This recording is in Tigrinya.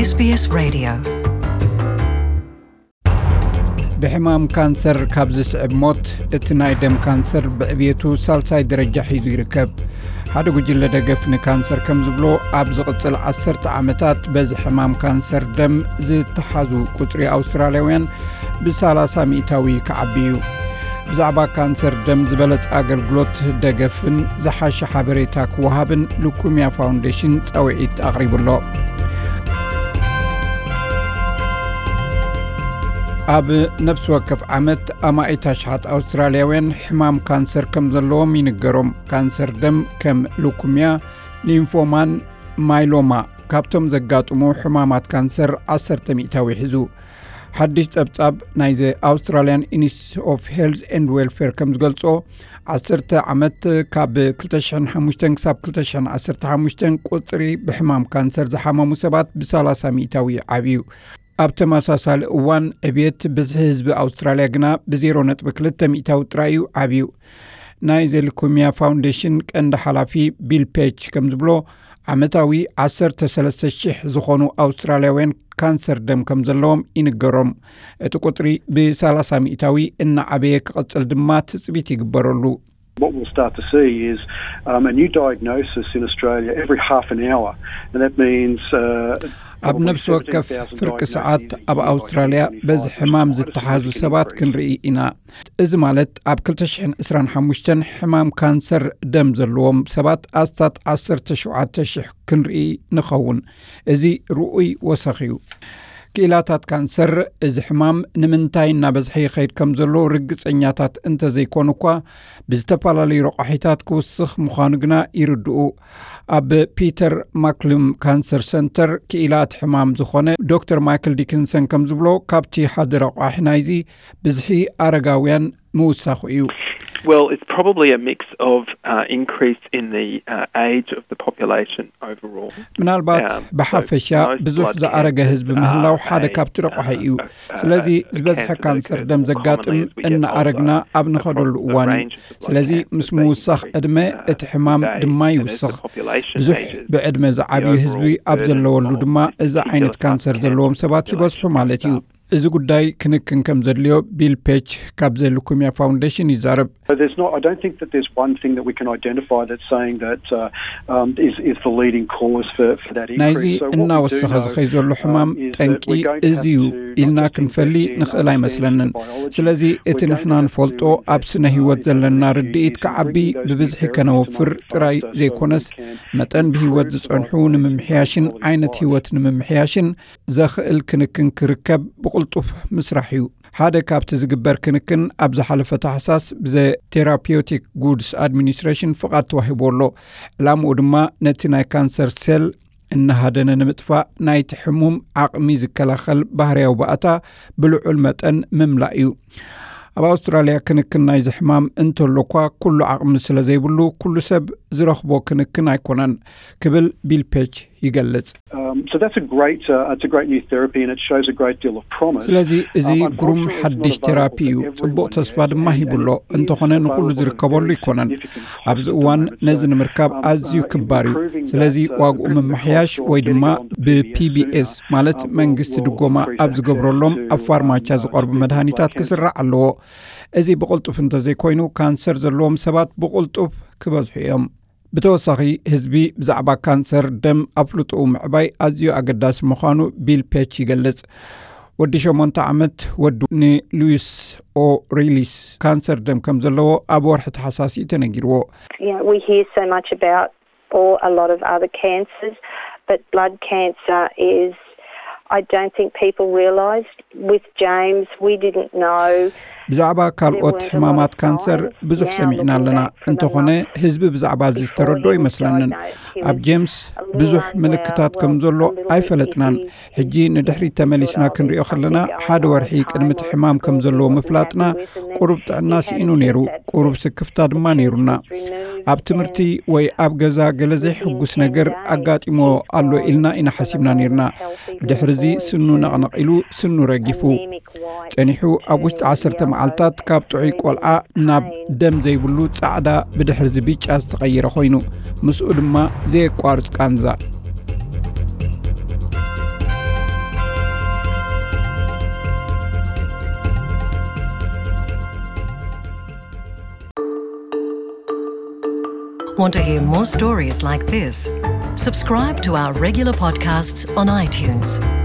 SBS Radio. ብሕማም ካንሰር ካብ ዝስዕብ ሞት፣ እቲ ናይ ደም ካንሰር ብዕብየቱ ሳልሳይ ደረጃ ሒዙ ይርከብ። ሓደ ጉጅለ ደገፍ ንካንሰር ከም ዝብሎ፣ ኣብ ዝቕጽል ዓሰርተ ዓመታት በዚ ሕማም ካንሰር ደም ዝተሓዙ ቁጽሪ ኣውስትራልያውያን ብ30 ሚእታዊ ክዓቢ እዩ። ብዛዕባ ካንሰር ደም ዝበለጸ ኣገልግሎት ደገፍን ዝሓሸ ሓበሬታ ክወሃብን ሉኩምያ ፋውንዴሽን ጻውዒት ኣቕሪቡ ኣሎ። ኣብ ነፍሲ ወከፍ ዓመት ኣማኢት ኣሽሓት ኣውስትራልያውያን ሕማም ካንሰር ከም ዘለዎም ይንገሮም። ካንሰር ደም ከም ሉኩምያ፣ ሊምፎማን ማይሎማ ካብቶም ዘጋጥሙ ሕማማት ካንሰር ዓሰርተ ሚእታዊ ሒዙ። ሓድሽ ጸብጻብ ናይዚ ኣውስትራልያን ኢንስቲትዩት ኦፍ ሄልዝ ኤንድ ዌልፌር ከም ዝገልጾ፣ ዓሰርተ ዓመት ካብ ክልተ ሽሕን ሓሙሽተን ክሳብ ክልተ ሽሕን ዓሰርተ ሓሙሽተን ቁጽሪ ብሕማም ካንሰር ዝሓመሙ ሰባት ብ30 ሚእታዊ ዓብዩ። ኣብ ተመሳሳሊ እዋን ዕብየት ብዝሒ ህዝቢ ኣውስትራልያ ግና ብ ዜሮ ነጥቢ ክልተ ሚእታዊ ጥራይ እዩ ዓብዩ። ናይ ዘሊኮሚያ ፋውንዴሽን ቀንዲ ሓላፊ ቢል ፔች ከም ዝብሎ፣ ዓመታዊ ዓሰርተ ሰለስተ ሽሕ ዝኾኑ ኣውስትራልያውያን ካንሰር ደም ከም ዘለዎም ይንገሮም። እቲ ቁጽሪ ብ30 ሚእታዊ እናዓበየ ክቕጽል ድማ ትጽቢት ይግበረሉ። What we'll start to see is, um, a new diagnosis in Australia every half an hour, and that means, uh, ኣብ ነፍሲ ወከፍ ፍርቂ ሰዓት ኣብ ኣውስትራልያ በዚ ሕማም ዝተሓዙ ሰባት ክንርኢ ኢና። እዚ ማለት ኣብ ክልተ ሽሕን ዕስራን ሓሙሽተን ሕማም ካንሰር ደም ዘለዎም ሰባት ኣስታት ዓሰርተ ሸውዓተ ሽሕ ክንርኢ ንኸውን። እዚ ርኡይ ወሰኽ እዩ። ክኢላታት ካንሰር እዚ ሕማም ንምንታይ እናበዝሐ ይኸይድ ከም ዘሎ ርግጸኛታት እንተዘይኮኑ እኳ፣ ብዝተፈላለዩ ረቋሒታት ክውስኽ ምዃኑ ግና ይርድኡ። ኣብ ፒተር ማክሉም ካንሰር ሰንተር ክኢላ እቲ ሕማም ዝኾነ ዶክተር ማይክል ዲክንሰን ከም ዝብሎ፣ ካብቲ ሓደ ረቋሒ ናይዚ ብዝሒ ኣረጋውያን ምውሳኹ እዩ። Well, it's probably a mix of, uh, increase in the, uh, age of the population overall. ምናልባት ብሓፈሻ ብዙሕ ዝኣረገ ህዝቢ ምህላው ሓደ ካብቲ ረቋሒ እዩ። ስለዚ ዝበዝሐ ካንሰር ደም ዘጋጥም እናኣረግና ኣብ ንኸደሉ እዋን እዩ። ስለዚ ምስ ምውሳኽ ዕድመ እቲ ሕማም ድማ ይውስኽ። ብዙሕ ብዕድመ ዝዓብዩ ህዝቢ ኣብ ዘለወሉ ድማ እዚ ዓይነት ካንሰር ዘለዎም ሰባት ይበዝሑ ማለት እዩ። እዚ ጉዳይ ክንክን ከም ዘድልዮ ቢል ፔች ካብ ዘ ሉኩምያ ፋውንዴሽን ይዛረብ። So there's not, I don't think that there's one thing that we can identify that's saying that, uh, um, is, is the leading cause for, for that increase. ናይዚ እናወሰኸ ዝኸይ ዘሎ ሕማም ጠንቂ እዚ እዩ ኢልና ክንፈሊ ንኽእል ኣይመስለንን። ስለዚ እቲ ንሕና ንፈልጦ ኣብ ስነ ህይወት ዘለና ርድኢት ክዓቢ ብብዝሒ ከነወፍር ጥራይ ዘይኮነስ፣ መጠን ብህይወት ዝጸንሑ ንምምሕያሽን ዓይነት ህይወት ንምምሕያሽን ዘኽእል ክንክን ክርከብ ብቕልጡፍ ምስራሕ እዩ። ሓደ ካብቲ ዝግበር ክንክን ኣብ ዝሓለፈ ታሕሳስ ብዘ ቴራፒውቲክ ጉድስ ኣድሚኒስትሬሽን ፍቓድ ተዋሂቡ ኣሎ። ዕላምኡ ድማ ነቲ ናይ ካንሰር ሴል እናሃደነ ንምጥፋእ ናይቲ ሕሙም ዓቕሚ ዝከላኸል ባህርያዊ ባእታ ብልዑል መጠን ምምላእ እዩ። ኣብ ኣውስትራልያ ክንክን ናይዚ ሕማም እንተሎ እኳ፣ ኩሉ ዓቕሚ ስለ ዘይብሉ፣ ኩሉ ሰብ ዝረኽቦ ክንክን ኣይኮነን ክብል ቢል ፔች ይገልጽ። Um, so that's a great, uh, it's a great new therapy, and it shows a great deal of promise. ስለዚ እዚ ግሩም ሓድሽ ቴራፒ እዩ፣ ጽቡቕ ተስፋ ድማ ሂቡ ኣሎ። እንተኾነ ንኹሉ ዝርከበሉ ኣይኮነን። ኣብዚ እዋን ነዚ ንምርካብ ኣዝዩ ክባር እዩ። ስለዚ ዋግኡ ምምሕያሽ ወይ ድማ ብ ፒ ቢ ኤስ ማለት መንግስቲ ድጎማ ኣብ ዝገብረሎም ኣብ ፋርማቻ ዝቐርቡ መድሃኒታት ክስራዕ ኣለዎ። እዚ ብቕልጡፍ እንተዘይኮይኑ፣ ካንሰር ዘለዎም ሰባት ብቕልጡፍ ክበዝሑ እዮም። ብተወሳኺ፣ ህዝቢ ብዛዕባ ካንሰር ደም ኣፍልጦኡ ምዕባይ ኣዝዩ ኣገዳሲ ምዃኑ ቢል ፔች ይገልጽ። ወዲ ሸሞንተ ዓመት ወዱ ንሉዊስ ኦሪሊስ ካንሰር ደም ከም ዘለዎ ኣብ ወርሒ ተሓሳሲ ተነጊርዎ። You know, we hear so much about, or a lot of other cancers, but blood cancer is, I don't think people realised with James, we didn't know. ብዛዕባ ካልኦት ሕማማት ካንሰር ብዙሕ ሰሚዕና ኣለና። እንተኾነ፣ ህዝቢ ብዛዕባ እዚ ዝተረድኦ ይመስለንን። ኣብ ጄምስ ብዙሕ ምልክታት ከም ዘሎ ኣይፈለጥናን። ሕጂ ንድሕሪት ተመሊስና ክንሪኦ ከለና፣ ሓደ ወርሒ ቅድሚ እቲ ሕማም ከም ዘለዎ ምፍላጥና፣ ቁሩብ ጥዕና ስኢኑ ነይሩ፣ ቁሩብ ስክፍታ ድማ ነይሩና። ኣብ ትምህርቲ ወይ ኣብ ገዛ ገለ ዘይሕጉስ ነገር ኣጋጢሞ ኣሎ ኢልና ኢና ሓሲብና ነይርና። ብድሕርዚ ስኑ ነቕነቕ ኢሉ፣ ስኑ ረጊፉ። ጸኒሑ ኣብ ውሽጢ ዓሰርተ መዓልታት ካብ ጥዑይ ቆልዓ ናብ ደም ዘይብሉ ጻዕዳ፣ ብድሕርዚ ብጫ ዝተቐየረ ኮይኑ፣ ምስኡ ድማ ዘየቋርጽ ቃንዛ። Want to hear more stories like this? Subscribe to our regular podcasts on iTunes.